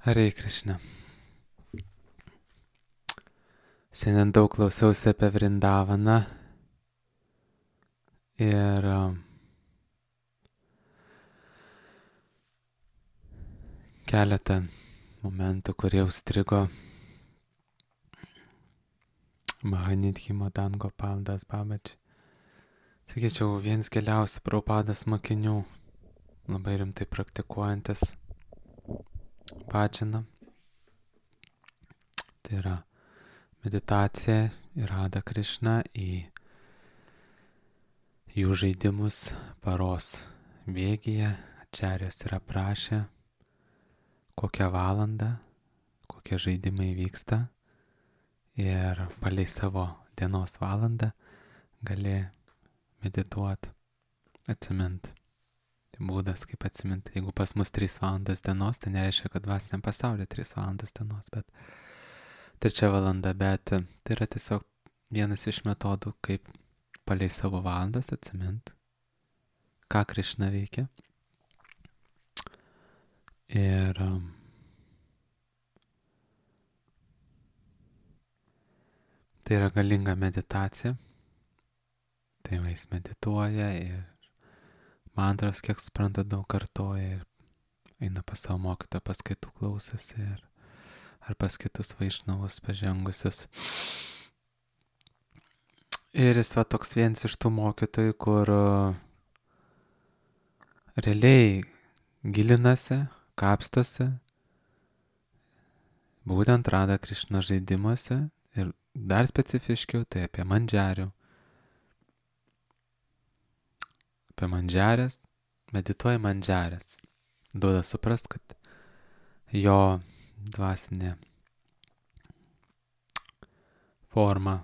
Hare Krishna. Šiandien daug klausiausi apie Vrindavaną ir keletą momentų, kurie užstrigo Mahanidhi Madan Gopal Das Babaji. Sakyčiau, vienas giliausių Prabhupados mokinių, labai rimtai praktikuojantis bhajaną. Tai yra meditacija į Radha Krishną, į jų žaidimus paros bėgyje. Ačarjas yra prašę, kokią valandą, kokie žaidimai vyksta ir palei savo dienos valandą gali medituoti, atsiminti. Tai būdas, kaip atsiminti. Jeigu pas mus 3 valandas dienos, tai nereiškia, kad dvasiniam pasaulyje 3 valandas dienos, bet 3 valanda, bet tai yra tiesiog vienas iš metodų, kaip palei savo valandas atsiminti, ką Krishna veikia. Ir tai yra galinga meditacija. Tai jis medituoja ir mantras, kiek supranta, daug kartoja ir eina pas savo mokytoją, paskaitų klausasi ar pas kitus vaišnavus pažengusius. Ir jis toks vienas iš tų mokytojų, kur realiai gilinasi, kapstosi, būtent Radha Krishna žaidimuose ir dar specifiškiau tai apie mandžiarių. Apie mandžiarės, medituoja mandžiarės. Duoda suprast, kad jo dvasinė forma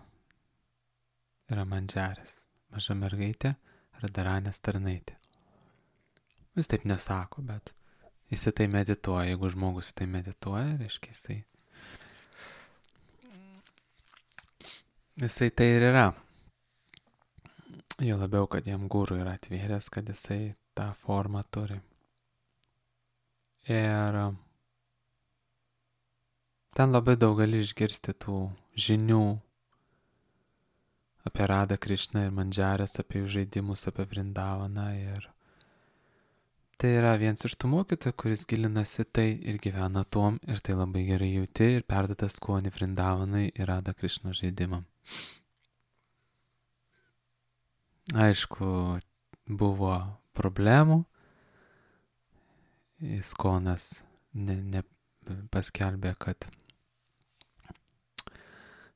yra mandžiarės. Maža mergaitė, Radharanės tarnaitė. Jis taip nesako, bet jis tai medituoja. Jeigu žmogus tai medituoja, reiškia jisai tai ir yra. Jo labiau, kad jam guru yra atvėręs, kad jisai tą formą turi. Ir ten labai daug gali išgirsti tų žinių apie Radha Krishną ir mandžiarės, apie jų žaidimus, apie Vrindavaną. Ir tai yra vienas iš tų mokytojų, kuris gilinasi tai ir gyvena tuom, ir tai labai gerai jauti ir perdada skonį Vrindavanai ir Radha Krishna žaidimam. Aišku, buvo problemų. Iskonas paskelbė, kad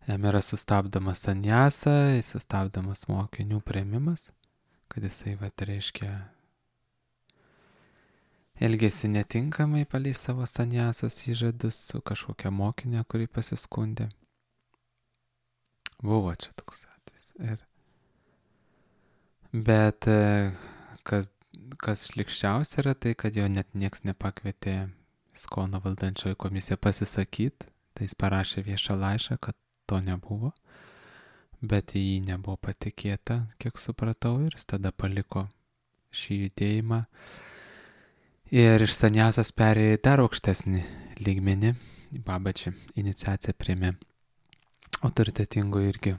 jam yra sustabdomas sanjasa, sustabdomas mokinių priėmimas, kad jisai reiškia elgėsi netinkamai palei savo sanjasos įžadus su kažkokia mokinė, kuri pasiskundė. Buvo čia toks atvejis. Bet kas šlikščiausia yra tai, kad jo net nieks nepakvietė Iskono valdančioji komisija pasisakyti. Tai jis parašė viešą laišką, kad to nebuvo. Bet į jį nebuvo patikėta, kiek supratau, ir jis tada paliko šį judėjimą. Ir iš sanjasos perėjo į dar aukštesnį lygmenį. Babaji iniciaciją priėmė autoritetingų irgi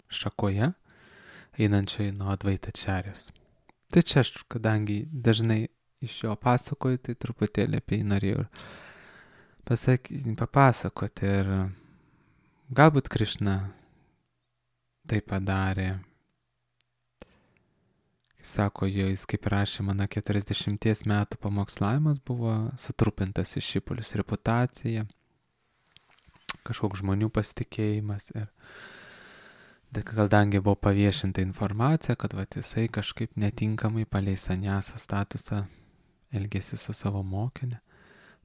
šakoje, einančiai nuo Advaita Ačarjos. Tai čia aš, kadangi dažnai iš jo pasakoju, tai truputėlį apie jį norėjau papasakoti. Ir galbūt Krishna tai padarė. Kaip sako, jis kaip rašė, mano 40 metų pamokslavimas buvo sutrupintas iš šipulius, reputacija, kažkoks žmonių pasitikėjimas. Ir kadangi buvo paviešinta informacija, kad jisai kažkaip netinkamai palei sanjaso statusą elgėsi su savo mokinė,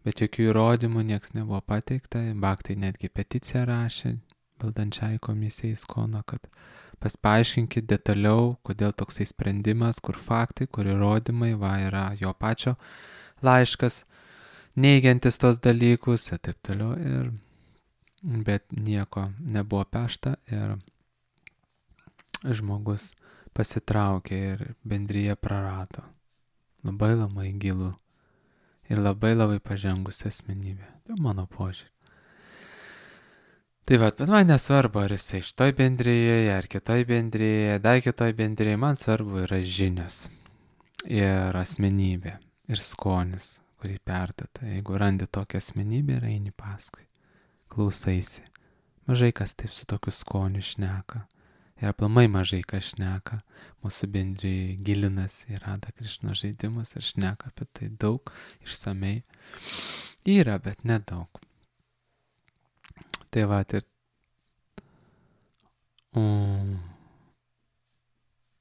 bet jokių įrodymų nieks nebuvo pateikta. Bhaktai netgi peticiją rašė valdančiai komisijai Iskono, kad paaiškinkit detaliau, kodėl toksai sprendimas, kur faktai, kur įrodymai, yra jo pačio laiškas, neigiantis tos dalykus ir taip toliau. Bet nieko nebuvo pešta ir žmogus pasitraukė ir bendrija prarado labai gilų ir labai labai pažengusi asmenybė. Tai mano požiūrė. Tai bet man nesvarbu, ar jisai šitoj bendrėje, ar kitoj bendrėje, dar kitoj bendrėje, man svarbu yra žinios ir asmenybė ir skonis, kurį perdata. Jeigu randi tokią asmenybę ir eini paskui, klausaisi. Mažai kas taip su tokiu skoniu šneka. Ir aplamai mažai kas šneka. Mūsų bendrėje gilinasi į Radha Krišna žaidimus ir šneka apie tai daug, išsamei. Yra, bet nedaug. Tai va, ir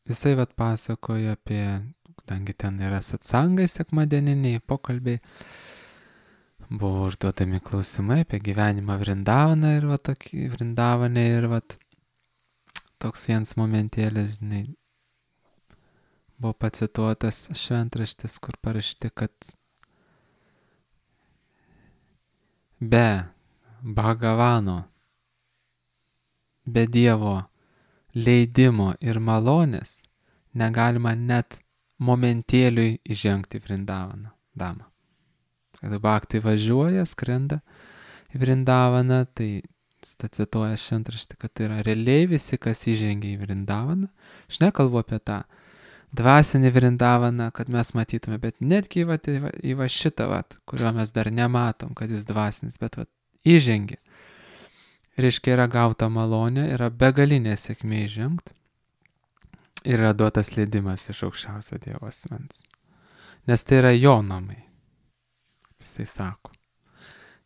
jisai vat pasakoja apie, kadangi ten yra satsangai sekmadieniniai pokalbiai, buvo užduodami klausimai apie gyvenimą Vrindavaną ir va tokį Vrindavanę ir va toks vienas momentėlis, žinai, buvo pacituotas šventraštis, kur parašyti, kad be Bhagavano, be Dievo leidimo ir malonės negalima net momentėliui įžengti Vrindavaną damą. Kada bhakti važiuoja, skrenda į Vrindavaną, tai cituoja šventraštį, kad tai yra realiai visi, kas įžengia į Vrindavaną. Aš nekalbu apie tą dvasinį Vrindavaną, kad mes matytume, bet netgi į va šitą, kurio mes dar nematom, kad jis dvasinis, bet įžengia. Reiškia, yra gauta malonė, yra begalinė sėkmė įžengti ir yra duotas leidimas iš aukščiausio Dievo asmens. Nes tai yra jo namai, jisai sako.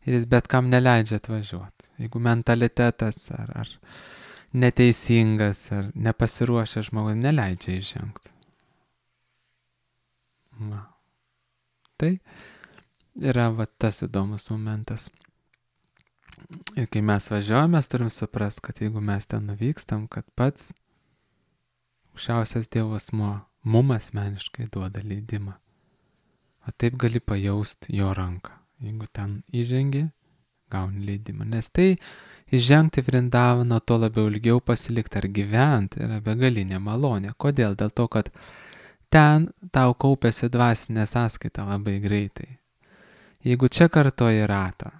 Ir jis bet kam neleidžia atvažiuoti. Jeigu mentalitetas ar neteisingas, ar nepasiruošęs žmogus neleidžia įžengti. Tai yra tas įdomus momentas. Ir kai mes važiuojame, mes turim suprast, kad jeigu mes ten nuvykstam, kad pats aukščiausias Dievo asmuo mum asmeniškai duoda leidimą. O taip gali pajausti jo ranką. Jeigu ten įžengi, gauni leidimą. Nes tai įžengti Vrindavaną, to labiau ilgiau pasilikti ar gyventi yra begalinė malonė. Kodėl? Dėl to, kad ten tau kaupiasi dvasinė sąskaita labai greitai. Jeigu čia kartoji ratą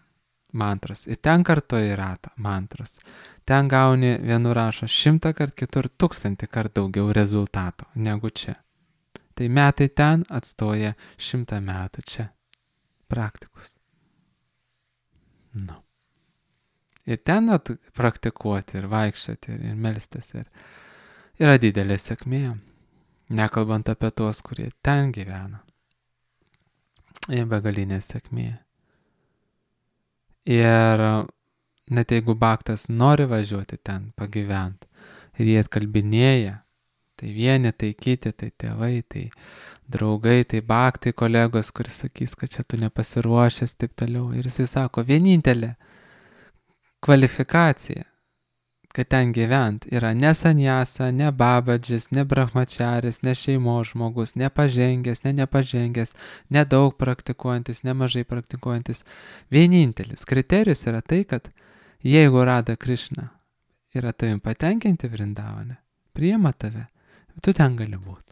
mantras ir ten kartoji ratą mantras, ten gauni vienur rašo 100 kart, kitur 1000 kart daugiau rezultato negu čia. Tai metai ten atstoja 100 metų čia. Praktikus. Nu. Ir ten praktikuoti ir vaikščioti ir melstis yra didelė sėkmė. Nekalbant apie tuos, kurie ten gyvena. Ir begalinė sėkmė. Ir net jeigu bhaktas nori važiuoti ten, pagyventi, ir jie atkalbinėja, tai vieni, tai kiti, tai tėvai, tai draugai, tai bhaktai kolegos, kuris sakys, kad čia tu nepasiruošęs, taip toliau. Ir jisai sako, vienintelė kvalifikacija, kad ten gyvent, yra ne sanjasa, ne babadžis, ne brahmačaris, ne šeimos žmogus, nepažengęs, nepažengęs, nedaug praktikuojantis, nemažai praktikuojantis. Vienintelis kriterijus yra tai, kad jeigu Radha Krišna yra tavim patenkinti Vrindavane, priima tave, tu ten gali būti.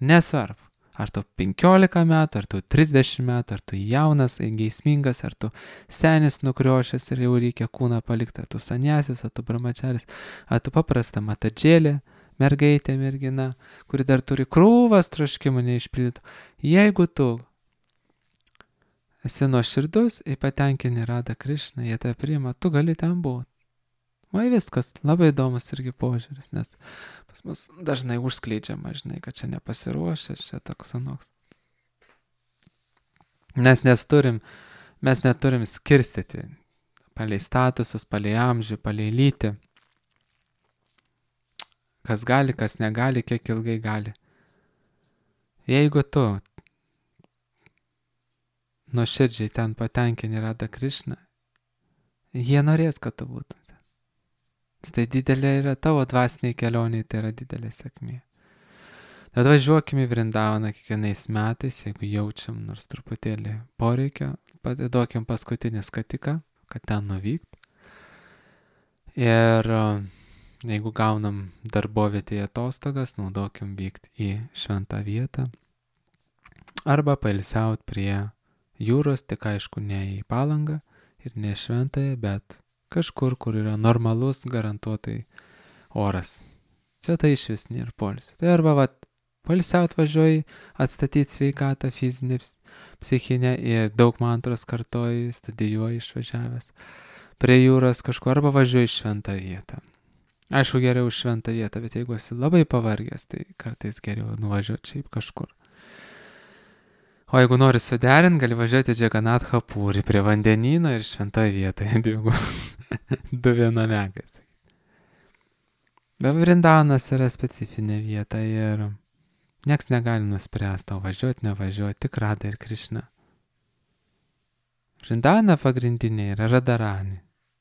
Nesvarbu, ar tu 15 metų, ar tu 30 metų, ar tu jaunas, geismingas, ar tu senis nukriošęs ir jau reikia kūną palikti, ar tu sanjasis, ar tu brahmačaris, ar tu paprasta matadžėlė, mergaitė, mergina, kuri dar turi krūvas troškimų neišpildytų. Jeigu tu esi nuoširdus ir patenkini Radha Krišną, jie tave priima, tu gali ten būti. Vai viskas, labai įdomus irgi požiūris, nes pas mus dažnai užskleidžiama, žinai, kad čia nepasiruošęs, čia toks anoks. Mes neturim skirstyti palei statusus, palei amžių, palei lytį. Kas gali, kas negali, kiek ilgai gali. Jeigu tu nuoširdžiai ten patenkini Radha Krišną, jie norės, kad tu būtum. Tai didelė yra tavo dvasiniai kelioniai, tai yra didelė sėkmė. Tad važiuokime į Vrindavaną kiekvienais metais, jeigu jaučiam nors truputėlį poreikio, duokim paskutinį skatiką, kad ten nuvykt. Ir jeigu gaunam darbovietėje atostogas, naudokim vykti į šventą vietą arba pailsiaut prie jūros, tik aišku ne į Palangą ir ne Šventąją, bet kažkur, kur yra normalus garantuotai oras. Čia tai iš vis nėra poilsio. Tai arba poilsiaut važiuoji, atstatyti sveikatą fizinę, psichinę ir daug mantros kartoji, studijuoji išvažiavęs prie jūros kažkur, arba važiuoji į šventą vietą. Aišku, geriau šventą vietą, bet jeigu esi labai pavargęs, tai kartais geriau nuvažiuoti šiaip kažkur. O jeigu nori suderinti, gali važiuoti Džaganatha Puri prie vandenyno ir šventoje vietoje du vienamekas. Bet Vrindanas yra specifinė vieta ir nieks negali nuspręsti, tau važiuoti, nevažiuoti, tik Radha ir Krišna. Vrindavana pagrindinė yra Radharani,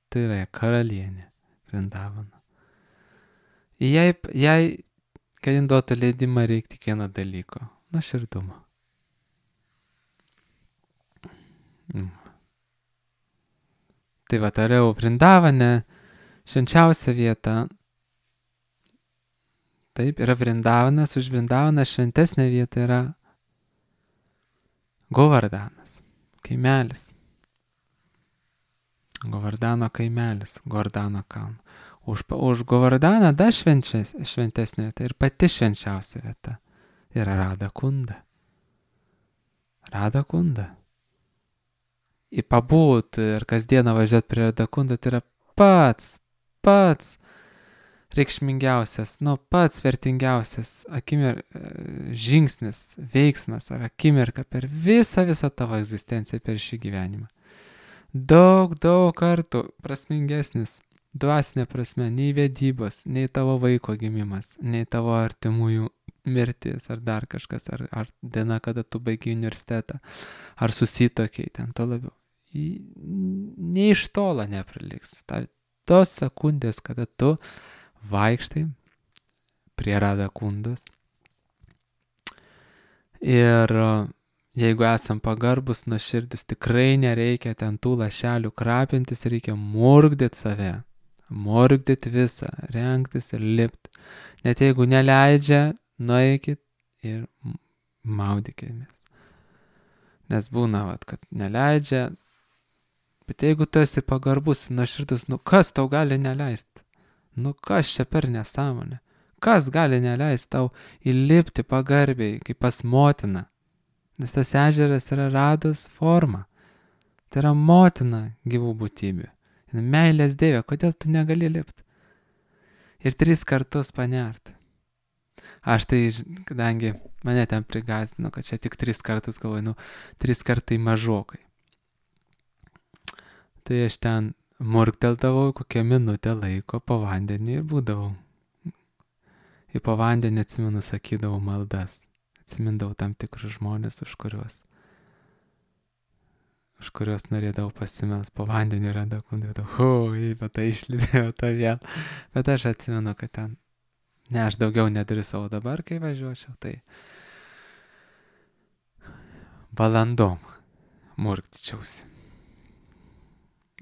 tai yra karalienė Vrindavana. Jai, kad jin duotų leidimą, reikia tik vieno dalyko - nuoširdumo. Tai toliau Vrindavane, švenčiausia vieta. Taip, yra Vrindavanas, už Vrindavaną šventesnė vieta yra Govardanas, kaimelis. Govardano kaimelis, Govardano kalno. Už Govardaną dar šventesnė vieta ir pati švenčiausia vieta yra Radha Kunda. Radha Kunda. Į pabūt ir kasdieną važiuoti prie Radha Kunda, tai yra pats reikšmingiausias, pats vertingiausias žingsnis, veiksmas ar akimirka per visą tavo egzistenciją per šį gyvenimą. Daug kartų prasmingesnis, dvasinė prasme, nei vedybos, nei tavo vaiko gimimas, nei tavo artimųjų mirtis ar dar kažkas, ar diena, kada tu baigi universitetą, ar susitokiai, ten to labiau. Nei iš tolo nepriliks. Tos sekundės, kada tu vaikštai prie Radha Kundos. Ir jeigu esam pagarbus, nuoširdus, tikrai nereikia ten tų lašelių krapintis, reikia murkdyti save, murkdyti visą, rengtis ir lipti. Net jeigu neleidžia, nueikit ir maudykimės. Nes būna, kad neleidžia, bet jeigu tu esi pagarbus, nuoširdus, kas tau gali neleisti? Kas čia per nesąmonė? Kas gali neleisti tau įlipti pagarbiai, kaip pas motiną? Nes tas ežeras yra Radhos forma. Tai yra motina gyvų būtybių. Meilės dievė, kodėl tu negali lipti? Ir 3 kartus panerti. Aš tai, kadangi mane ten prigąsdino, kad čia tik 3 kartus galvoju, 3 kartai mažokai. Tai aš ten murkteldavau kokią minutę laiko po vandenį ir būdavau. Ir po vandenį, atsimenu, sakydavau maldas. Atsimindavau tam tikrus žmonės, už kuriuos norėdavau pasimels po vandenį Radha Kundai. Bet tai išlydėjau tą vėl. Bet aš atsimenu, kad ten, aš daugiau nedrįsau dabar, kai važiuočiau, tai valandom murktyčiausi.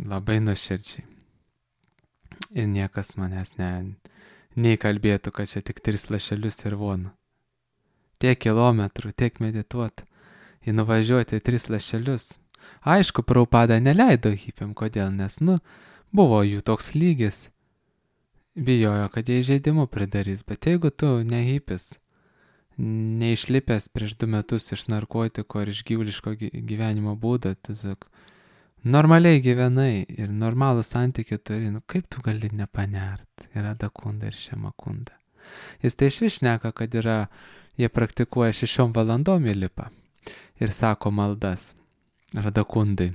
Labai nuoširdžiai. Ir niekas manęs nei kalbėtų, kad čia tik 3 lašelius ir vona. Tiek kilometrų, tiek medituoti, ir nuvažiuoti 3 lašelius. Aišku, Prabhupada neleido hipiam, kodėl, nes, buvo jų toks lygis. Bijojo, kad jie įžeidimų pridarys, bet jeigu tu ne hipis, neišlipęs prieš 2 metus iš narkotiko ir iš gyvuliško gyvenimo būdo, tiesiog normaliai gyvenai ir normalų santykį turi, kaip tu gali nepanert? Yra Radha Kunda ir Shama Kunda. Jis tai išvis šneka, kad jie praktikuoja 6 valandom įlipa ir sako maldas Radha Kundai.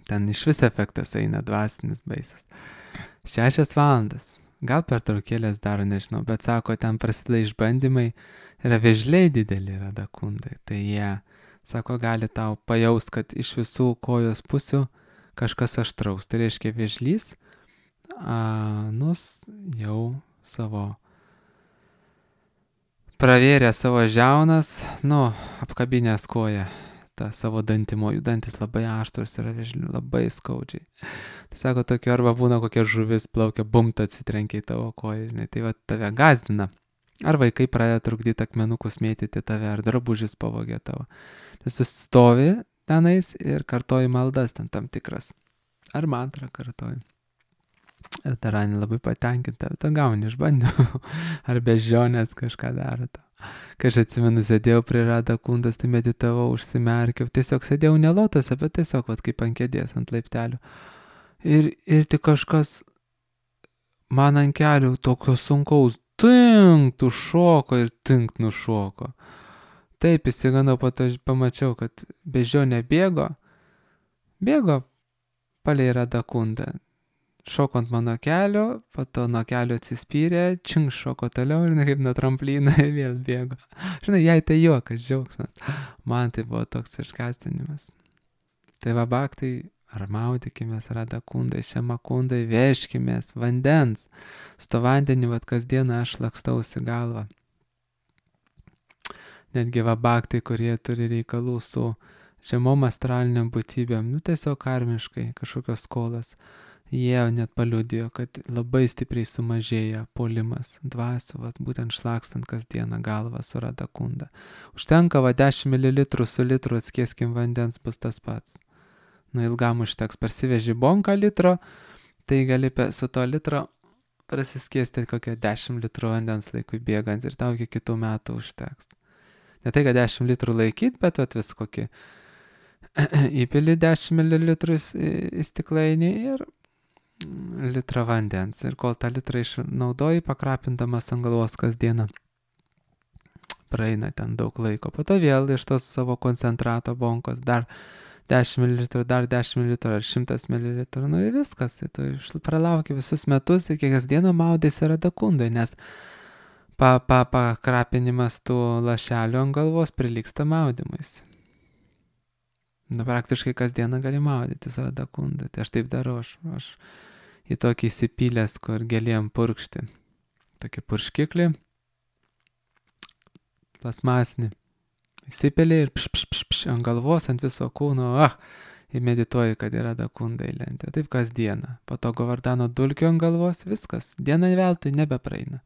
Ten iš vis efektas eina dvasinis baisas. 6 valandas. Gal per traukėlės daro, nežinau, bet sako, ten prasideda išbandymai, yra vėžliai dideli Radha Kundai. Tai jie, sako, gali tau pajaust, kad iš visų kojos pusių kažkas aštraus. Tai reiškia vėžlys, jau pravėrė savo žiaunas, apkabinęs koją, tą savo dantimo, jų dantis labai aštrus yra vėžlių, labai skaudžiai. Tai sako, tokio arba būna kokia žuvis plaukia, bumta atsitrenkia į tavo koją, žinai, tai tave gazdina. Ar vaikai pradeda trukdyti akmenukus mėtyti tave, ar drabužis pavogė tavo. Nes tu stovi tenais ir kartoji maldas ten tam tikras. Ar mantrą kartoji. Ir ta Ranė labai patenkinta, tu gauni išbandymų. Ar bežionės kažką daro to. Kai aš atsimenu, sėdėjau prie Rada Kundas, tai meditavau, užsimerkiau. Tiesiog sėdėjau ne lotose, bet tiesiog kaip ant kėdės, ant laiptelių. Ir tik kažkas man ant kelių tokio sunkaus tinkt užšoko ir tinkt nušoko. Taip įsigandau, po to pamačiau, kad bežionė bėgo palei Rada Kundą. Šoko ant mano kelio, po to nuo kelio atsispyrė, šoko toliau ir kaip nuo tramplino vėl bėgo. Žinai, jai tai juokas, džiaugsmas. Man tai buvo toks išgąsdinimas. Tai va baktai, ar maudykimės Rada Kundai, Šiama Kundai, vežkimės vandens. Su to vandeniu, kasdieną aš lakstausi galvą. Netgi va baktai, kurie turi reikalų su žemom astraliniam būtybėm, tiesiog karmiškai, kažkokios skolas. Jie net paliudijo, kad labai stipriai sumažėja puolimas dvasių, būtent šlakstant kasdieną galvą su Rada Kunda. Užtenka 10 ml su litru atskieskim vandens, bus tas pats. Ilgam užteks, parsiveži bonką litro, tai gali su to litro prasiskiesti kokią 10 litrų vandens laikui bėgant ir tau iki kitų metų užteks. Ne tai, kad 10 litrų laikyt, bet vis kokį įpili 10 ml į stiklainį ir litrą vandens. Ir kol tą litrą išnaudoji, pakrapindamas ant galvos kasdieną, praeina ten daug laiko. Po to vėl iš tos savo koncentrato bonkos dar 10 ml, dar 10 ml ar 100 ml. Ir viskas. Tai tu pralauki visus metus ir kiekvieną maudėsi Rada Kundai, nes pakrapinimas tų lašelių ant galvos prilygsta maudymais. Praktiškai kasdieną gali maudytis Rada Kundai. Tai aš taip darau, aš į tokį įsipylęs, kur gėlėm purkšti. Tokį purškiklį, plasmasinį. Įsipėlė ir ant galvos, ant viso kūno, ir medituoju, kad yra Rada Kundai lentė. Taip kasdieną. Po to Govardano dulkių ant galvos, viskas. Diena veltui nebepraeina.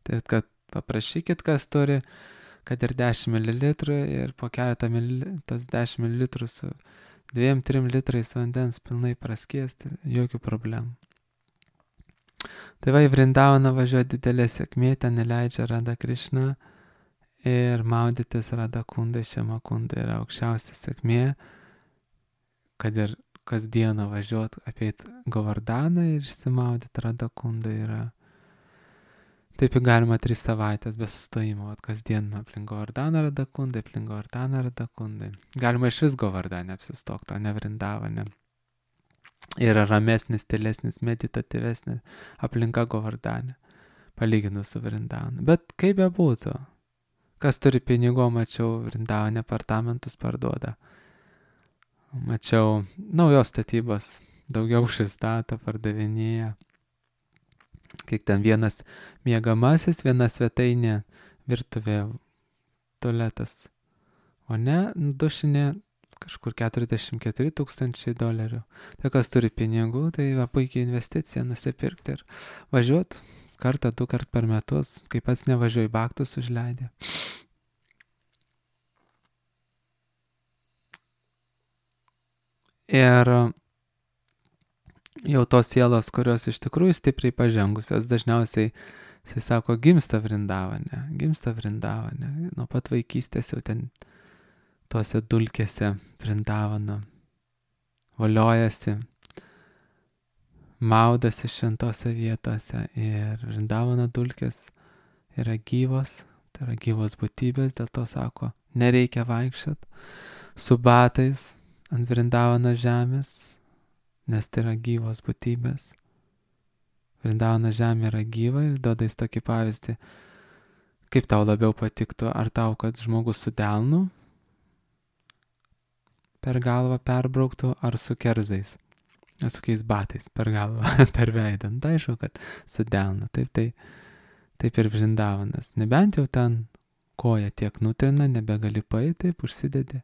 Taip, kad paprašykit, kas turi, kad ir 10 ml ir po keletą tas 10 ml su 2-3 litrais vandens pilnai praskiesti, jokių problemų. Tai į Vrindavaną važiuoja didelė sėkmė, ten neleidžia Rada Krišna ir maudytis Rada Kundai, Šiama Kundai yra aukščiausia sėkmė, kad ir kasdieną važiuot apeit Govardaną ir išsimaudyti Rada Kundai yra. Taip galima 3 savaitės be sustojimo, kasdien aplink Govardaną Rada Kundai, aplink Govardaną Rada Kundai. Galima iš vis Govardane apsistokti, o ne Vrindavane. Yra ramesnis, tylesnis, meditatyvesnis aplinka Govardane, palyginus su Vrindavanu. Bet kaip bebūtų, kas turi pinigų, mačiau, Vrindavane apartamentus parduoda. Mačiau naujos statybos, daugiau šestato pardavinėja. Kiek ten vienas miegamasis, viena svetainė, virtuvė, tualetas. O ne, dušinė kažkur $44,000. Tai kas turi pinigų, tai puikiai investicija nusipirkti ir važiuot kartą, 2 kart per metus, kaip pats nevažiuoju, baktus užleidė. Ir jau tos sielos, kurios iš tikrųjų stipriai pažengusios, dažniausiai, jisai sako, gimsta Vrindavane. Nuo pat vaikystės jau ten tose dulkėse Vrindavano voliojasi, maudasi šventose vietose ir Vrindavano dulkės yra gyvos, tai yra gyvos būtybės, dėl to sako, nereikia vaikščiot su batais ant Vrindavano žemės, nes tai yra gyvos būtybės. Vrindavano žemė yra gyva ir duoda jis tokį pavyzdį, kaip tau labiau patiktų, ar tau, kad žmogus su delnu per galvą perbrauktų, ar su kerzais, ar su kokiais batais per galvą, per veidą. Tai aišku, kad su delnu. Taip ir Vrindavanas. Nebent jau ten koja tiek nutrina, nebegali paeiti, taip užsidedi.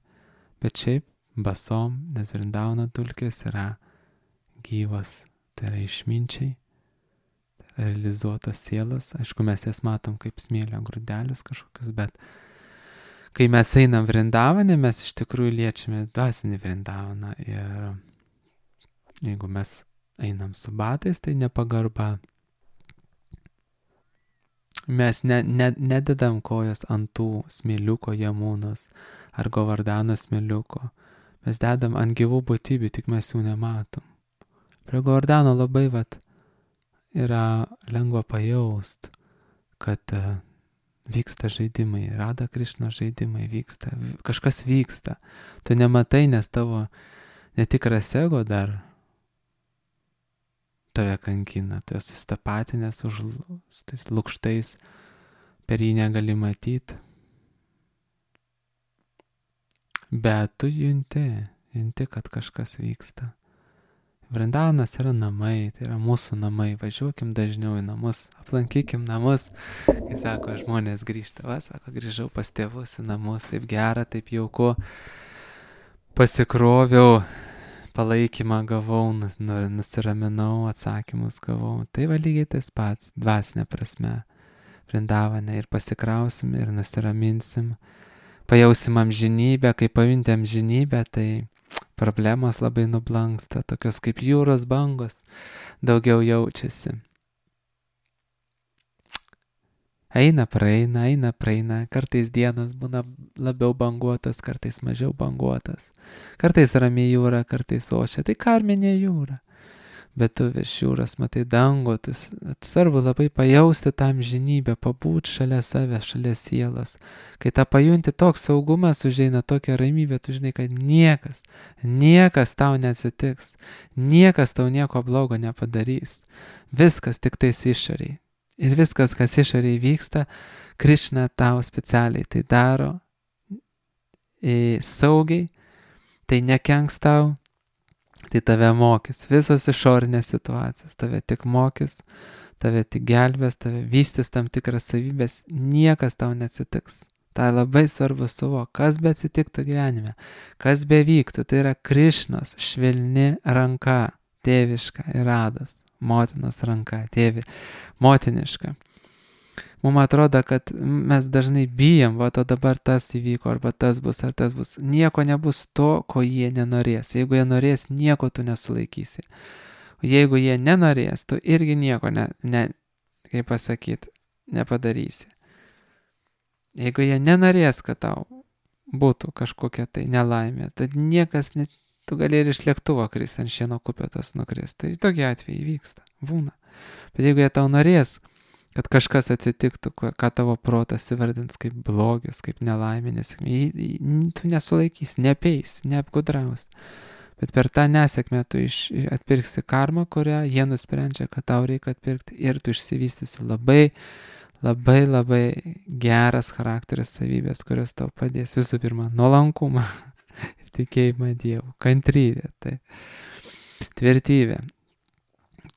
Bet šiaip basom, nes Vrindavano dulkės yra gyvos, tai yra išminčiai, tai yra realizuotos sielos. Aišku, mes jas matom kaip smėlio grūdelius kažkokius, bet kai mes einam Vrindavane, mes iš tikrųjų liečiame dvasinį Vrindavaną. Ir jeigu mes einam su batais, tai nepagarba. Mes nededam kojas ant tų smėliuko Jamunos ar Govardhano smėliuko. Mes dedam ant gyvų būtybių, tik mes jų nematom. Prie Govardhano labai yra lengva pajaust, kad vyksta žaidimai, Radha Krišna žaidimai vyksta, kažkas vyksta. Tu nematai, nes tavo netikras ego dar tave kankina, tu esi susitapatinęs su tais lukštais, per jį negali matyti. Bet tu junti, kad kažkas vyksta. Vrindavanas yra namai, tai yra mūsų namai, važiuokim dažniau į namus, aplankykim namus, kai sako, žmonės grįžta, sako, grįžau pas tėvus į namus, taip gera, taip jauku, pasikroviau, palaikymą gavau, nusiraminau, atsakymus gavau, tai lygiai tas pats, dvasinė prasme, Vrindavane ir pasikrausim ir nusiraminsim, pajausim amžinybę, kai pajunti amžinybę, tai problemos labai nublanksta, tokios kaip jūros bangos, daugiau jaučiasi. Eina, praeina, kartais dienos būna labiau banguotas, kartais mažiau banguotas, kartais rami jūra, kartais ošia, tai karminė jūra. Bet tu virš jūros matai dangų, svarbu labai pajausti tą amžinybę, pabūt šalia savęs, šalia sielos. Kai tą pajunti, toks saugumas užeina, tokia ramybė, tu žinai, kad niekas tau neatsitiks, niekas tau nieko blogo nepadarys. Viskas tik tais išoriai. Ir viskas, kas išoriai vyksta, Krišna tau specialiai tai daro saugiai, tai nekenks tau, tai tave mokys. Visos išorinės situacijos tave tik mokys, tave tik gelbės, tave vystys tam tikras savybės, niekas tau neatsitiks. Tai labai svarbu suvokti, kas be atsitiktų gyvenime, kas be vyktų, tai yra Krišnos švelni ranka, tėviška ir Rados, motinos ranka, motiniška. Mums atrodo, kad mes dažnai bijom, o dabar tas įvyko, arba tas bus, ar tas bus. Nieko nebus to, ko jie nenorės. Jeigu jie norės, nieko tu nesulaikysi. Jeigu jie nenorės, tu irgi nieko, nepadarysi. Jeigu jie nenorės, kad tau būtų kažkokia tai nelaimė, tad niekas, tu gali ir iš lėktuvo kristi, ant šieno kupetos nukristi. Tai tokie atvejai vyksta, būna. Bet jeigu jie tau norės, kad kažkas atsitiktų, ką tavo protas įvardins kaip blogis, kaip nelaimė, tu nesulaikysi, nepeis, neapgudraus. Bet per tą nesėkmę tu atpirksi karmą, kurią jie nusprendžia, kad tau reikia atpirkti, ir tu išsivystysi labai geras charakterio savybės, kurios tau padės. Visų pirma, nuolankumą ir tikėjimą Dievu, kantrybę, tai tvirtybę.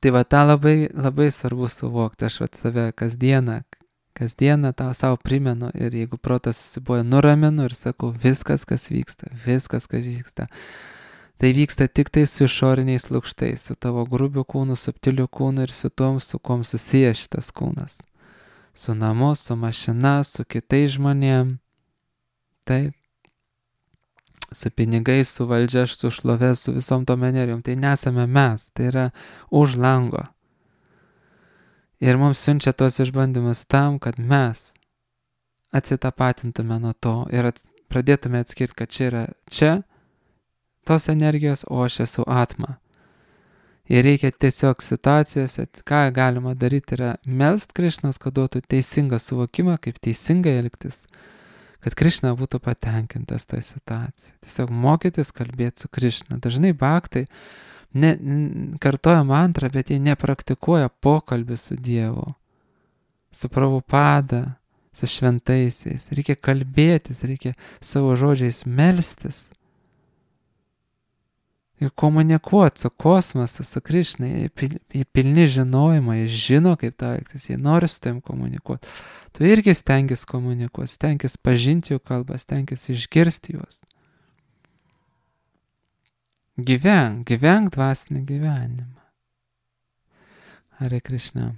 Tai tą labai svarbu suvokti, aš save kasdieną tau savo primenu, ir jeigu protas susiboja, nuraminu ir sakau, viskas, kas vyksta, tai vyksta tik tai su išoriniais lukštais, su tavo grubiu kūnu, subtiliu kūnu ir su tom, su kom susijęs šitas kūnas. Su namu, su mašina, su kitais žmonėm, taip. Su pinigais, su valdžia, su šlove, su visom tom energijom. Tai nesame mes, tai yra už lango. Ir mums siunčia tos išbandymus tam, kad mes atsitapatintume nuo to ir pradėtume atskirti, kad čia tos energijos, o aš esu atma. Ir reikia tiesiog situacijose, ką galima daryti, yra melst Krišnos, kad duotų teisingą suvokimą, kaip teisingai elgtis, kad Krišna būtų patenkintas tą situaciją. Tiesiog mokytis kalbėti su Krišna. Dažnai bhaktai kartoja mantrą, bet jie nepraktikuoja pokalbį su Dievu, su Prabhupada, su šventaisiais. Reikia kalbėtis, reikia savo žodžiais melstis ir komunikuoti su kosmosu, su Krišna. Jie pilni žinojimo, jie žino, kaip tau elgtis, jie nori su tavim komunikuoti. Tu irgi stengis komunikuoti, stengis pažinti jų kalbą, stengis išgirsti juos. Gyvenk dvasinį gyvenimą. Hare Krishna.